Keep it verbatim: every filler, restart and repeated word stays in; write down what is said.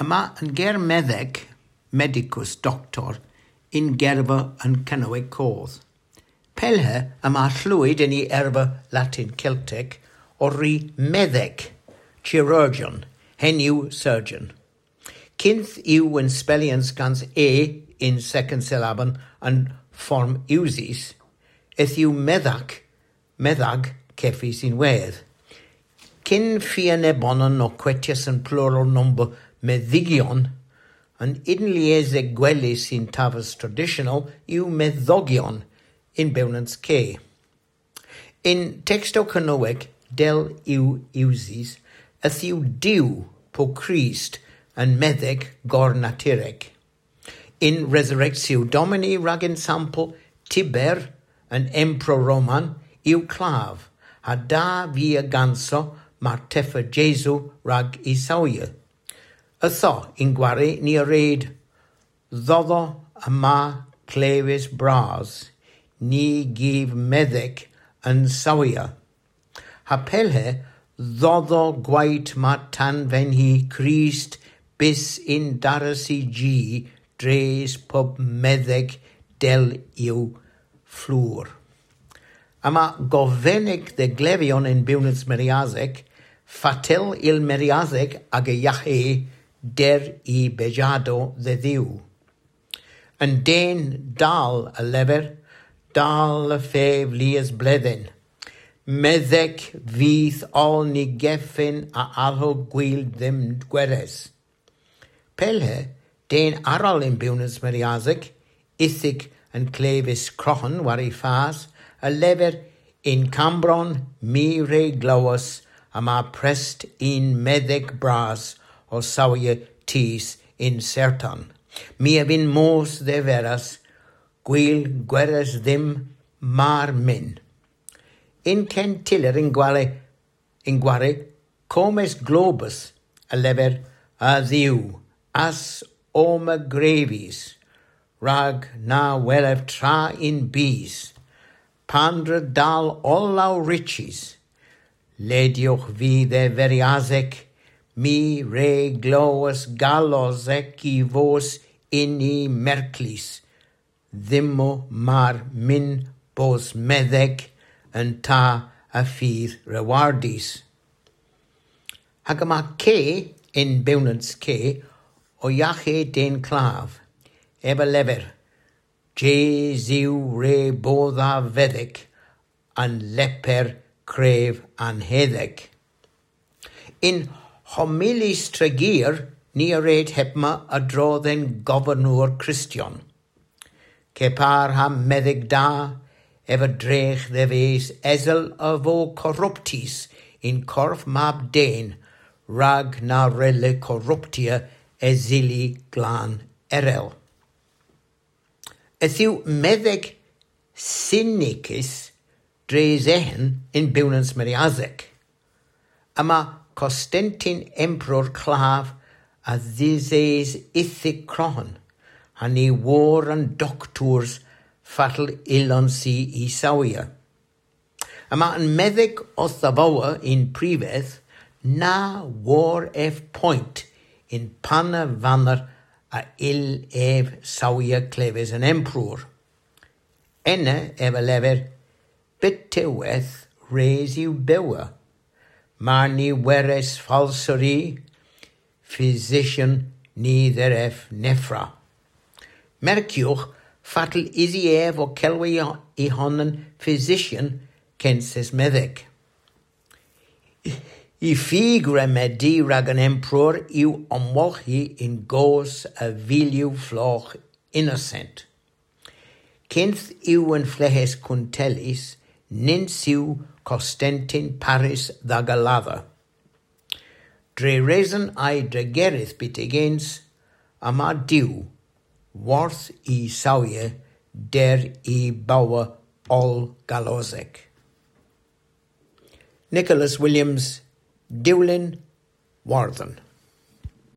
Yma an ger medhek, medicus, doktor, yn gerva an Kernewek Koth. Pellhe yma hlwyd yn y erva Latin Keltek ow ri medhek, chirurgeon, henn yw surgeon. Kynth yw an spellyans gans e yn seken syllabon an form usys, yth yw medhag, medhag kevys ynwedh. Kyn fia nebonan ow kwetyas an plural nomber medhygyon, an ynliesek gwelys yn taves tradisyonel yw medhogyon yn bewnans ke. Yn tekstow Kernewek dell yw usys, yth yw Duw po Krist an medhek gornaturek. Yn Resurrectio Domini rag ensampel, Tibur, an emperor Roman, yw klav, ha da via ganso marteffa Jesu rag y sawya. Ytho, yn gwari ni a red, dhodho yma kleves bras, ni gyv medhek an sawya. Ha pellhe, dhodho gwayt ma tanvenhi Krist bys yn daras y ji dres pub medhek dell yw flour. Yma govenek dhe glevyon yn bewnans meryasek, fatel yll meryasek aga yaghe der y bejadow dhe Dhuw. An den dall a lever, dall a fev lies bledhen. Medhek vyth oll ny gefen a alhowgh gwil dhymm gweres. Pellhe, den arall yn bewnans meryasek, ithik an kleves kroghen war y fas, a lever, yn Kammbronn my re glowas yma prest unn medhek bras ow sawya tus yn sertan. My a vynn mos dhe veras, gwil gweres dhymm mar mynn. Yn Ken Tyller yn gwari, yn gwari, Comes Globus a lever, a Dhuw, ass omma grevis, rag na welev tra yn bys, pandra dall oll ow rychys. Ledyowgh vy dhe veryasek, my re glowas galosek y vos yn y merklys, dhymmo mar mynn bos medhek an ta a vydh rewardys. Hag yma ke yn bewnans ke ow yaghe den klav, ev a lever, Jesu re bodha vedhek an leper krev anhedhek. Yn Homilies Tregear ni a red hemma a-dro dhe'n governor Kristyon. Kepar ha medhek da, ev a dregh dhe ves esel a vo korruptys yn korf mab den, rag na wrelle korruptya eseli glan erel. Yth yw medhek synikys dres eghen yn bewnans meryasek. Yma Konstantin emperor klav a dhises ithik kroghen, ha ny wor an doktours fatel yllons i y sawya. Yma an medhek ow dhavowa yn privedh, na wor ev poynt yn pana vaner a yll ev sawya kleves an emperor. Ena ev a lever, byttewedh res yw bewa. Mar ny weres falsari, physician ny dherev nevra. Merkiowgh fatel usi ev ow kelwi y honan physician kyns medhek. Y fig remedi rag an emperor yw omwolghi yn goos a vilyow flogh innosent. Kynth yw an fleghes kuntellys, nyns yw Konstantin parys dh'aga ladha. Dre reson a'y dregeredh byttegyns, yma Duw, worth y sawya der y bowa oll galosek. Nicholas Williams, Dewlin, Wardhen.